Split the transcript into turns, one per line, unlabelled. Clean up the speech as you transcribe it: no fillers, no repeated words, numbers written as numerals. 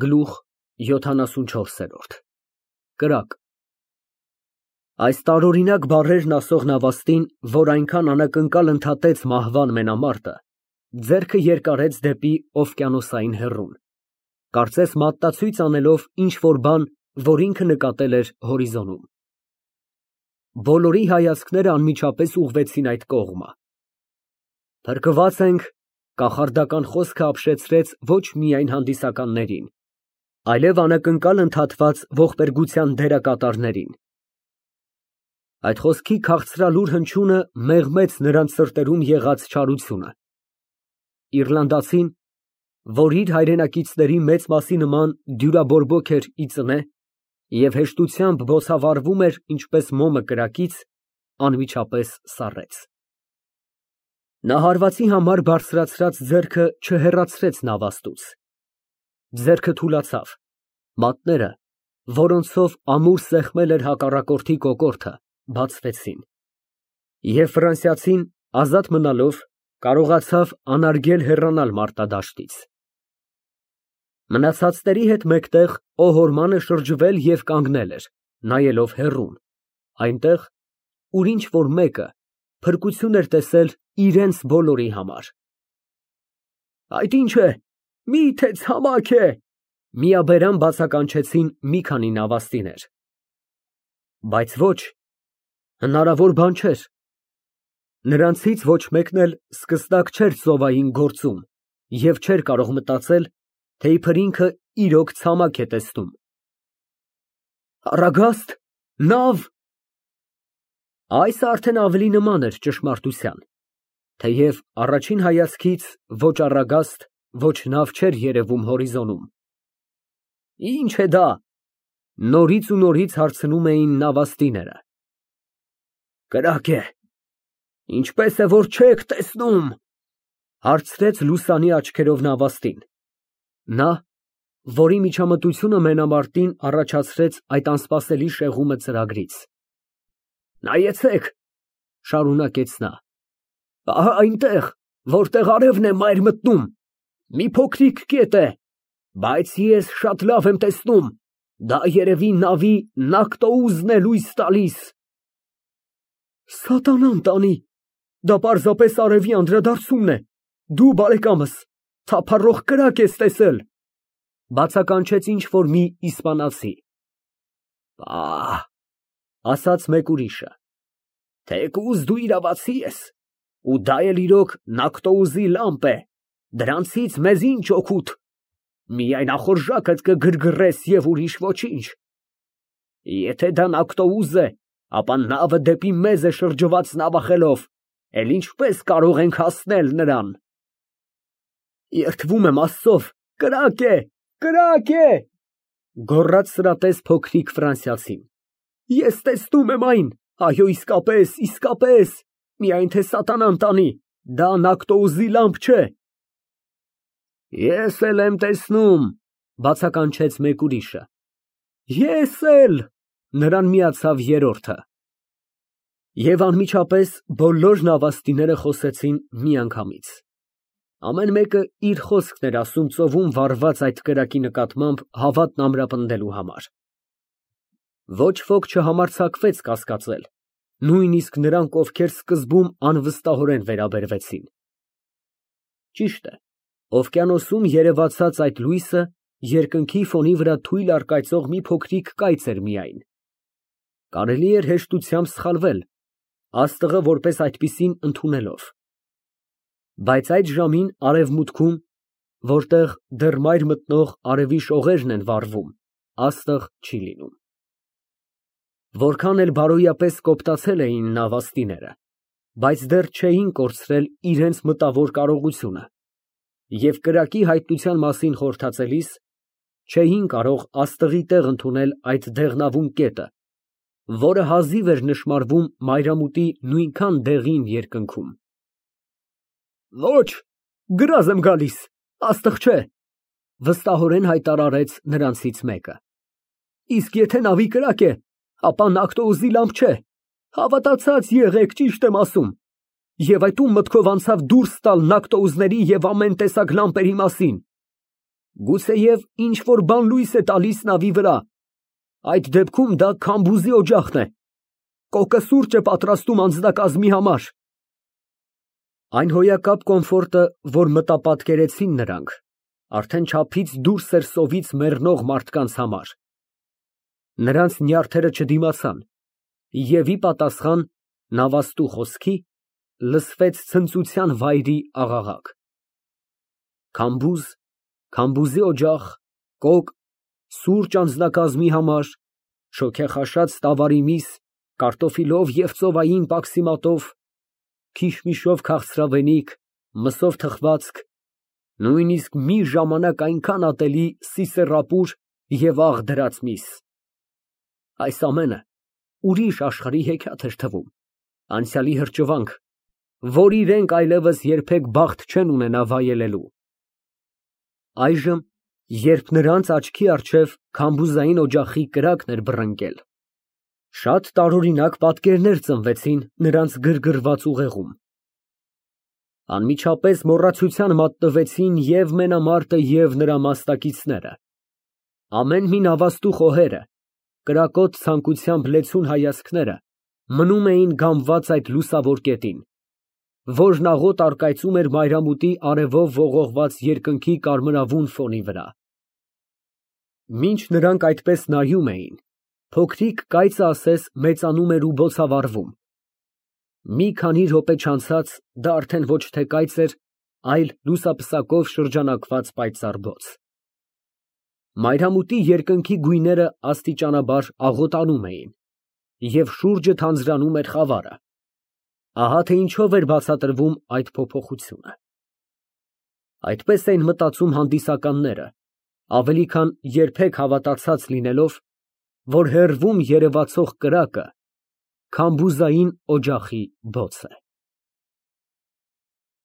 Գլուխ 74 կրակ Այս տարօրինակ բառերն ասող նավաստին, որ այնքան անակնկալ ընդհատեց մահվան մենամարտը, ձեռքը երկարեց դեպի օվկիանոսային հեռուն, կարծես մատնացույց անելով ինչ֊որ բան, որ ինքը նկատել էր հորիզոնում։ Բոլորի հայացքները անմիջապես ուղղվեցին այդ կողմը։ Փրկված ենք, կախարդական խոսքը ապշեցրեց ոչ միայն հանդիսականներին, այլև անակնկալ ընդհատված ողբերգության դերակատարներին։ Այդ խոսքի քաղցրալուր հնչյունը մեղմեց նրանց սրտերում եղած չարությունը։ Իռլանդացին, որ իր հայրենակիցների մեծ մասի նման դյուրաբորբոք էր ի ծնե և հեշտությամբ բոցավառվում էր ինչպես մոմը կրակից, անմիջապես սառեց։ Նա հարվածի համար բարձրացրած ձեռքը չհեռացրեց նավաստուց։ Ձեռքը թուլացավ, մատները, որոնցով ամուր սեղմել էր հակառակորդի կոկորդը, բացվեցին, և ֆրանսիացին, ազատ մնալով, կարողացավ անարգել հեռանալ մարտադաշտից։ Մնացածների հետ մեկտեղ օհորմանը շրջվել և կանգնել էր, նայելով հեռուն, այնտեղ, ուր ինչ֊որ մեկը փրկություն էր տեսել իրենց բոլորի համար։ Այդ ի՞նչ է, մի՞թե ցամաք է, միաբերան բացականչեցին մի քանի նավաստիներ։ Բայց ոչ, հնարավոր բան չէր։ Նրանցից ոչ մեկն էլ սկստակ չէր ծովային գործում և չէր կարող մտածել, թե իբր ինքը իրոք ցամաք է տեսնում։ Առագա՞ստ, նավ։ Այս արդեն ավելի նման էր ճշմարտության, թեև առաջին հայացքից ոչ առագաստ, ոչ նավ չէր երևում հորիզոնում։ Ի՞նչ է դա, նորից ու նորից հարցնում էին նավաստիները։ Կրակ է, ինչպես է, որ չեք տեսնում, հարցրեց լուսանի աչքերով նավաստին, նա, որի միջամտությունը մենամարտին առաջացրեց այդ անսպասելի շեղումը ծրագրից։ Նայեցեք, շարունակեց նա, ահա այնտեղ, որտեղ արևն է մայր մտնում, մի փոքրիկ կետ է, բայց ես շատ լավ եմ տեսնում, դա երևի նավի նավթոուզն է լույս տալիս։ Սատանան տանի, դա պարզապես արևի անդրադարձումն է, դու, բարեկամս, թափառող կրակ ես տեսել, բացականչեց ինչ-որ մի իսպանացի։ Պահ, ասաց մեկ ուրիշը, թեկուզ դու իրավացի ես, ու դա էլ իրոք նավթոուզի լամպ է, դրանցից մեզ ինչ օգուտ, միայն ախորժակդ կգրգռես և ուրիշ ոչինչ։ Եթե դա նավթոուզ է, ապա նավը դեպի մեզ է շրջված նավախելով, էլ ինչպես կարող ենք հասնել նրան։ Երդվում եմ Աստծով, կրակ է, կրակ է, գոռաց սրատես փոքրիկ ֆրանսիացին։ Ես տեսնում եմ այն, այո, իսկապես, միայն թե սատանան տանի, դա նավթոուզի լամպ չէ։ Ես էլ եմ տեսնում, բացականչեց մեկ ուրիշը։ Ես էլ, նրան միացավ երրորդը։ Եվ անմիջապես բոլոր նավաստիները խոսեցին միանգամից։ Ամեն մեկը իր խոսքն էր ասում ծովում վառված այդ կրակի նկատմամբ հավատն ամրապնդելու համար։ Ոչ ոք չհամարձակվեց կասկածել, նույնիսկ նրանք, ովքեր սկզբում անվստահորեն վերաբերվեցին։ Ճիշտ է, օվկիանոսում երևացած այդ լույսը երկնքի ֆոնի վրա թույլ առկայծող մի փոքրիկ կայծ էր միայն։ Կարելի էր հեշտությամբ սխալվել, աստղը որպես այդպիսին ընդունելով։ Բայց այդ ժամին արևմուտքում, որտեղ դեռ մայր մտնող արևի շողերն են վառվում, աստղ չի լինում։ Որքան էլ բարոյապես կոպտացել էին նավաստիները, բայց դեռ չէին կորցրել իրենց մտավոր կարողությունը, և կրակի հայտնության մասին խորհրդածելիս չէին կարող աստղի տեղ ընդունել այդ դեղնավուն կետը, որը հազիվ էր նշմարվում մայրամուտի նույնքան դեղին երկնքում։ Ոչ, գրազ եմ գալիս, աստղ չէ, վստահորեն հայտարարեց նրանցից մեկը։ Իսկ եթե նավի կրակ է, ապա նավթոուզի լամպ չէ, հավատացած եղեք, ճիշտ եմ ասում, և այդ ում մտքով անցավ դուրս տալ նավթոուզների և ամեն տեսակ լամպերի մասին։ Գուցեև ինչ-որ բան լույս է տալիս նավի վրա։ Այդ դեպքում դա Քամբուզի օջախն է։ Կոկը սուրճ է պատրաստում անձնակազմի համար։ Այն հոյակապ կոմֆորտը, որ մտապատկերեցին նրանք, արդեն չափից դուրս էր սովից մեռնող մարդկանց համար։ Նրանց նյարդերը չդիմացան, և ի պատասխան նավաստու խոսքի լսվեց ցնծության վայրի աղաղակ։ Քամբուզ, Քամբուզի օջախ, կոկ, սուրճ անձնակազմի համար, շոգեխաշած ստավարի միս, կարտոֆիլով և ծովային պաքսիմատով, քիշմիշով քաղցրավենիք, մսով թխվածք, նույնիսկ մի ժամանակ այնքան ատելի սիսեռապուր և աղ դրած միս։ Այս ամենը ուրիշ աշխարհի հեքիաթ էր թվում, անցյալի հրճվանք, որ իրենք այլևս երբեք բախտ չեն ունենա վայելելու։ Այժմ, երբ նրանց աչքի առջև քամբուզային օջախի կրակն էր բռնկել, շատ տարօրինակ պատկերներ ծնվեցին նրանց գրգռված ուղեղում։ Անմիջապես մոռացության մատնվեցին և մենամարտը, և նրա մասնակիցները։ Ամեն մի նավաստու խոհերը, կրակոտ ցանկությամբ լեցուն հայացքները մնում էին գամված այդ լուսավոր կետին, որն աղոտ առկայծում էր մայրամուտի արևով ողողված երկնքի կարմրավուն ֆոնի վրա։ Մինչ նրանք այդպես նայում էին, փոքրիկ կայծը ասես մեծանում էր ու բոցավառվում։ Մի քանի րոպե չանցած դա արդեն ոչ թե կայծ էր, այլ լուսապսակով շրջանակված պայծառ բոց։ Մայրամուտի երկնքի գույները աստիճանաբար աղոտանում էին, և շուրջը թանձրանում էր խավարը։ Ահա թե ինչով էր բացատրվում այդ փոփոխությունը։ Այդպես էին մտածում հանդիսականները, ավելի քան երբեք հավատացած լինելով, որ հեռվում երևացող կրակը Քամբուզային օջախի բոց է։